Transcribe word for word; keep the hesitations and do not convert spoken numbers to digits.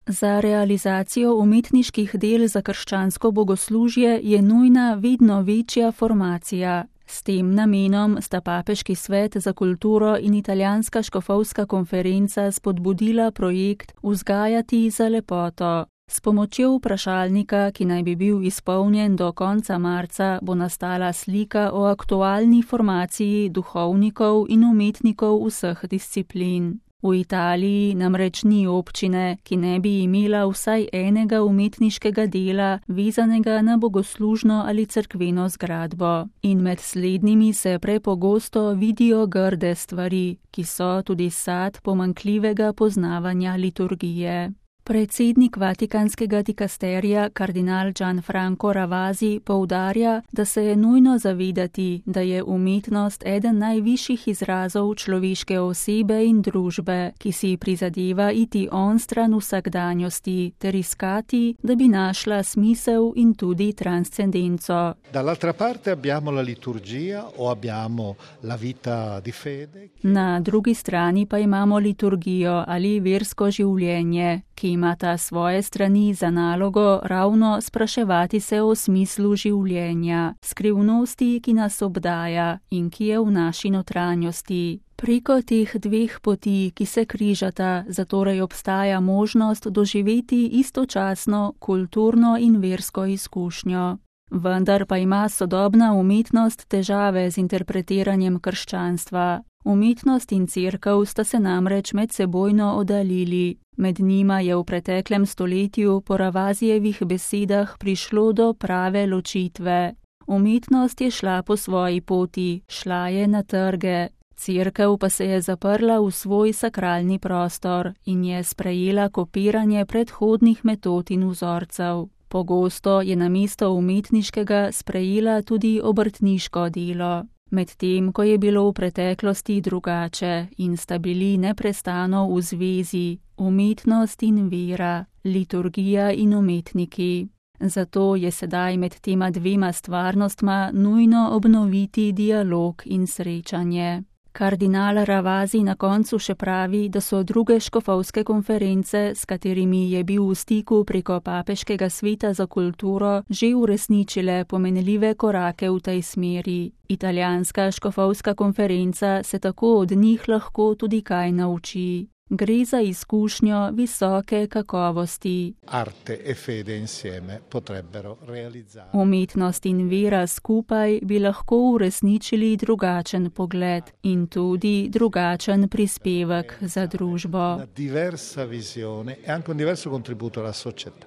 Za realizacijo umetniških del za krščansko bogoslužje je nujna vedno večja formacija. S tem namenom sta Papeški svet za kulturo in Italijanska škofovska konferenca spodbudila projekt Vzgajati za lepoto. S pomočjo vprašalnika, ki naj bi bil izpolnjen do konca marca, bo nastala slika o aktualni formaciji duhovnikov in umetnikov vseh disciplin. V Italiji namreč ni občine, ki ne bi imela vsaj enega umetniškega dela, vezanega na bogoslužno ali cerkveno zgradbo. In med slednjimi se prepogosto vidijo grde stvari, ki so tudi sad pomanjkljivega poznavanja liturgije. Predsednik Vatikanskega dikasterija kardinal Gianfranco Ravasi poudarja, da se je nujno zavedati, da je umetnost eden najvišjih izrazov človeške osebe in družbe, ki si prizadeva iti onstran vsakdanjosti ter iskati, da bi našla smisel in tudi transcendenco. Dall'altra parte abbiamo la liturgia o abbiamo la vita di fede. Na drugi strani pa imamo liturgijo ali versko življenje, ki imata svoje strani za nalogo ravno spraševati se o smislu življenja, skrivnosti, ki nas obdaja in ki je v naši notranjosti. Preko teh dveh poti, ki se križata, zatorej obstaja možnost doživeti istočasno kulturno in versko izkušnjo. Vendar pa ima sodobna umetnost težave z interpretiranjem krščanstva. Umetnost in cerkev sta se namreč medsebojno oddaljili. Med njima je v preteklem stoletju po Ravasijevih besedah prišlo do prave ločitve. Umetnost je šla po svoji poti, šla je na trge. Cerkev pa se je zaprla v svoj sakralni prostor in je sprejela kopiranje predhodnih metod in vzorcev. Pogosto je namesto umetniškega sprejela tudi obrtniško delo. Medtem ko je bilo v preteklosti drugače in sta bili neprestano v zvezi umetnost in vera, liturgija in umetniki. Zato je sedaj med tema dvema stvarnostma nujno obnoviti dialog in srečanje. Kardinal Ravasi na koncu še pravi, da so druge škofovske konference, s katerimi je bil v stiku preko Papeškega sveta za kulturo, že uresničile pomenljive korake v tej smeri. Italijanska škofovska konferenca se tako od njih lahko tudi kaj nauči. Gre za izkušnjo visoke kakovosti. Arte e fede insieme potrebbero realizzare. Umetnost in vera skupaj bi lahko uresničili drugačen pogled in tudi drugačen prispevek za družbo. Una diversa visione e anche un diverso contributo alla società.